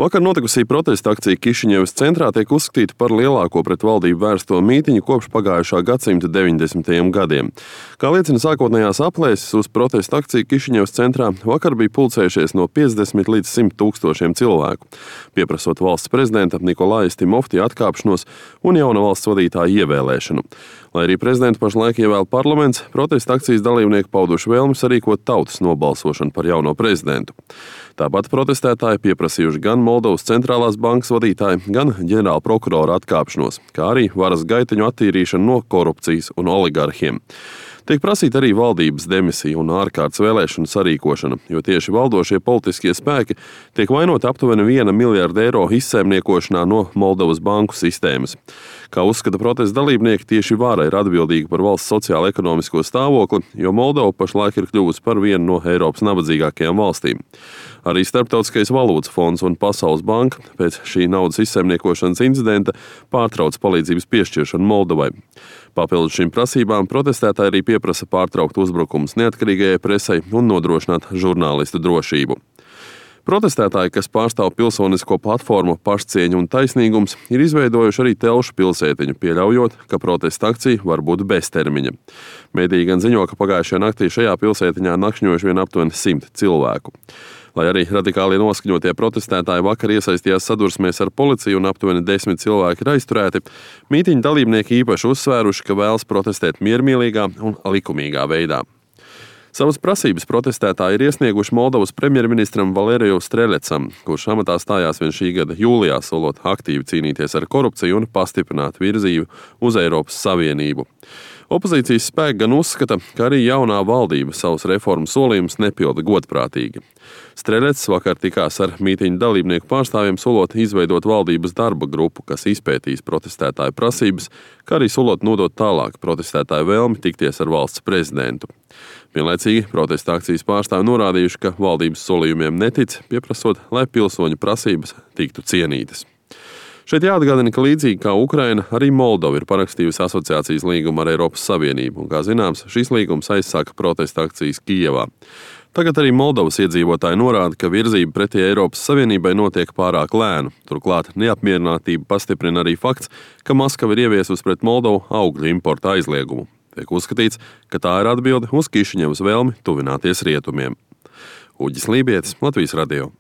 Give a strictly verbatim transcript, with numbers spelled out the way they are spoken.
Vakar notikusī protesta akcija Kišiņevas centrā tiek uzskatīta par lielāko pret valdību vērsto mītiņu kopš pagājušā gadsimta deviņdesmitajiem gadiem. Kā liecina sākotnējās aplēses, uz protesta akciju Kišiņevas centrā vakar bija pulcējušies no piecdesmit līdz simt tūkstošiem cilvēku, pieprasot valsts prezidenta Nikolaja Stimovtija atkāpšanos un jauna valsts vadītāja ievēlēšanu. Lai arī prezidentu pašlaik ievēl parlaments, protesta akcijas dalībnieki pauduši vēlmi sarīkot tautas nobalsošanu par jauno prezidentu. Tāpat protestētāji pieprasījuši gan Moldovas centrālās bankas vadītāju, gan ģenerāla prokurora atkāpšanos, kā arī varas gaiteņu attīrīšanu no korupcijas un oligarhiem. Tiek prasīta arī valdības demisija un ārkārtas vēlēšanu sarīkošana, jo tieši valdošie politiskie spēki tiek vainoti aptuveni viena miljarda eiro izsaimniekošanā no Moldovas banku sistēmas. Kā uzskata protesta dalībnieki, tieši vara ir atbildīga par valsts sociālo-ekonomisko stāvokli, jo Moldova pašlaik ir kļuvusi par vienu no Eiropas nabadzīgākajām valstīm. Arī Starptautiskais valūtas fonds un Pasaules banka pēc šī naudas izsaimniekošanas incidenta pārtrauc palīdzības piešķiršanu Moldovai. Papildus šīm prasībām protestētāji arī pieprasa pārtraukt uzbrukumus neatkarīgajai presei un nodrošināt žurnālistu drošību. Protestētāji, kas pārstāv pilsonisko platformu Pašcieņa un taisnīgums, ir izveidojuši arī telšu pilsētiņu, pieļaujot, ka protesta akcija var būt beztermiņa. Mediji gan ziņo, ka pagājušajā naktī šajā pilsētiņā nakšņojuši vien aptuveni simt cilvēku. Lai arī radikāli noskaņotie protestētāji vakar iesaistījās sadursmēs ar policiju un aptuveni desmit cilvēki ir aizturēti, mītiņa dalībnieki īpaši uzsvēruši, ka vēlas protestēt miermīlīgā un likumīgā veidā. Savas prasības protestētāji ir iesnieguši Moldovas premjerministram Valēriju Strelecam, kurš amatā stājās vien šī gada jūlijā, solot aktīvi cīnīties ar korupciju un pastiprināt virzību uz Eiropas Savienību. Opozīcijas spēki gan uzskata, ka arī jaunā valdība savus reformu solījumus nepilda godprātīgi. Strelets vakar tikās ar mītiņu dalībnieku pārstāvjiem, solot izveidot valdības darba grupu, kas izpētīs protestētāju prasības, kā arī solot nodot tālāk protestētāju vēlmi tikties ar valsts prezidentu. Vienlaicīgi protesta akcijas pārstāvi norādījuši, ka valdības solījumiem netic, pieprasot, lai pilsoņu prasības tiktu cienītas. Šeit jāatgādina, ka līdzīgi kā Ukraina, arī Moldova ir parakstījusi asociācijas līgumu ar Eiropas Savienību, un, kā zināms, šis līgums aizsāka protesta akcijas Kijevā. Tagad arī Moldovas iedzīvotāji norāda, ka virzība pretī Eiropas Savienībai notiek pārāk lēnu. Turklāt neapmierinātību pastiprina arī fakts, ka Maskava ir ieviesusi pret Moldovu augļu importa aizliegumu. Tiek uzskatīts, ka tā ir atbilde uz Kišiņevas vēlmi tuvināties rietumiem. Uģis Lībietis, Latvijas radio.